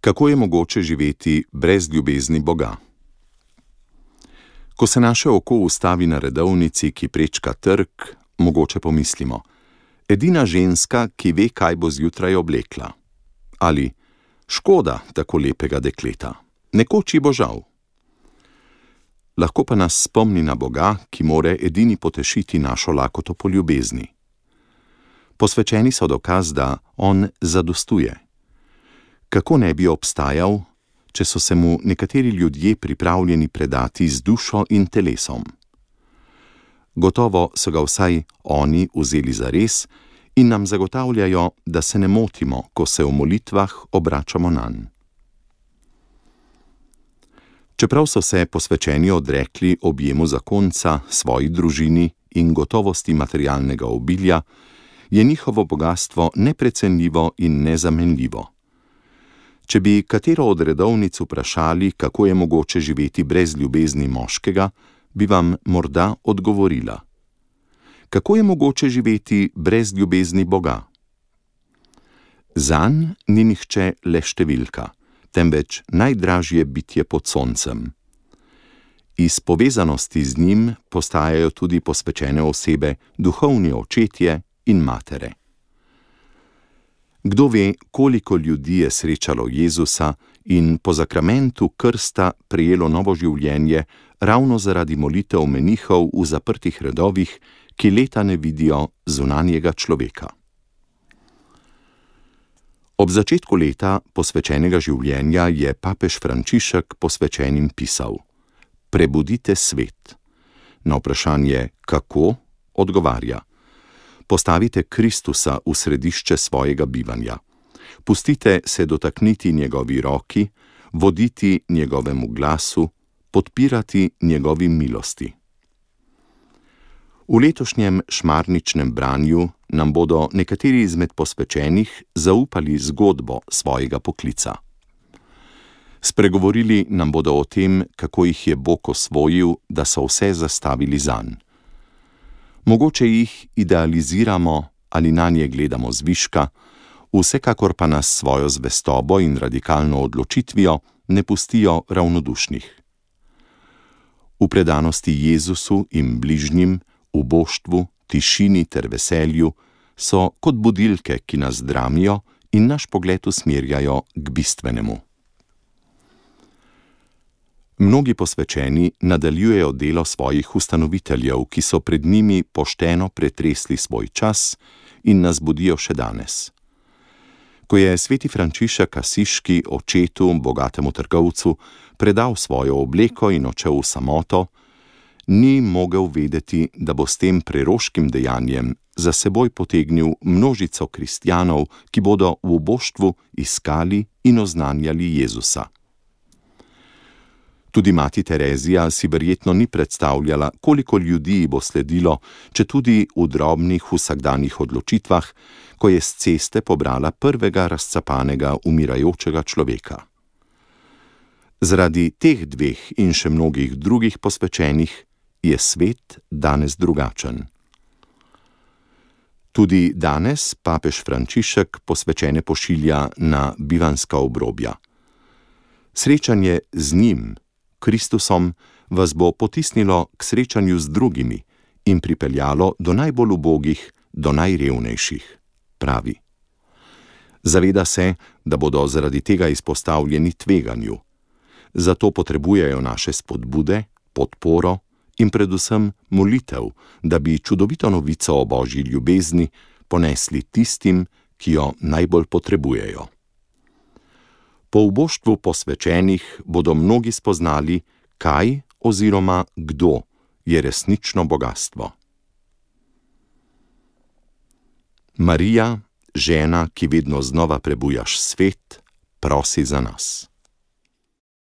Kako je mogoče živeti brez ljubezni Boga? Ko se naše oko ustavi na redovnici, ki prečka trg, mogoče pomislimo: edina ženska, ki ve, kaj bo zjutraj oblekla. Ali škoda tako lepega dekleta, nekoč ji bo žal. Lahko pa nas spomni na Boga, ki more edini potešiti našo lakoto po ljubezni. Posvečeni so dokaz, da on zadostuje. Kako ne bi obstajal, če so se mu nekateri ljudje pripravljeni predati z dušo in telesom? Gotovo so ga vsaj oni vzeli zares in nam zagotavljajo, da se ne motimo, ko se v molitvah obračamo nanj. Čeprav so se posvečeni odrekli objemu zakonca, svoji družini in gotovosti materialnega obilja, je njihovo bogastvo neprecenljivo in nezamenljivo. Če bi katero od redovnic vprašali, kako je mogoče živeti brez ljubezni moškega, bi vam morda odgovorila: kako je mogoče živeti brez ljubezni Boga? Zanj ni nihče le številka, temveč najdražje bitje pod soncem. Iz povezanosti z njim postajajo tudi posvečene osebe, duhovni očetje in matere. Kdo ve, koliko ljudi je srečalo Jezusa in po zakramentu krsta prejelo novo življenje ravno zaradi molitev menihov v zaprtih redovih, ki leta ne vidijo zunanjega človeka. Ob začetku leta posvečenega življenja je papež Frančišek posvečenim pisal: prebudite svet. Na vprašanje kako odgovarja: postavite Kristusa v središče svojega bivanja. Pustite se dotakniti njegovi roki, voditi njegovemu glasu, podpirati njegovi milosti. V letošnjem šmarničnem branju nam bodo nekateri izmed posvečenih zaupali zgodbo svojega poklica. Spregovorili nam bodo o tem, kako jih je Bog osvojil, da so vse zastavili zanj. Mogoče jih idealiziramo ali nanje gledamo zviška, vsekakor pa nas svojo zvestobo in radikalno odločitvijo ne pustijo ravnodušnih. V predanosti Jezusu in bližnjim, v boštvu, tišini ter veselju so kot budilke, ki nas dramijo in naš pogled usmerjajo k bistvenemu. Mnogi posvečeni nadaljujejo delo svojih ustanoviteljev, ki so pred njimi pošteno pretresli svoj čas in nas budijo še danes. Ko je sveti Frančišek Asiški očetu, bogatemu trgovcu, predal svojo obleko in odšel v samoto, ni mogel vedeti, da bo s tem preroškim dejanjem za seboj potegnil množico kristjanov, ki bodo v boštvu iskali in oznanjali Jezusa. Tudi mati Terezija si verjetno ni predstavljala, koliko ljudi bo sledilo, četudi v drobnih vsakdanjih odločitvah, ko je s ceste pobrala prvega razcapanega umirajočega človeka. Zaradi teh dveh in še mnogih drugih posvečenih je svet danes drugačen. Tudi danes papež Frančišek posvečene pošilja na bivanjska obrobja. Srečanje z njim, Kristusom, vas bo potisnilo k srečanju z drugimi in pripeljalo do najbolj ubogih, do najrevnejših, pravi. Zaveda se, da bodo zaradi tega izpostavljeni tveganju. Zato potrebujejo naše spodbude, podporo in predvsem molitev, da bi čudovito novico o Božji ljubezni ponesli tistim, ki jo najbolj potrebujejo. Po uboštvu posvečenih bodo mnogi spoznali, kaj oziroma kdo je resnično bogastvo. Marija, žena, ki vedno znova prebujaš svet, prosi za nas.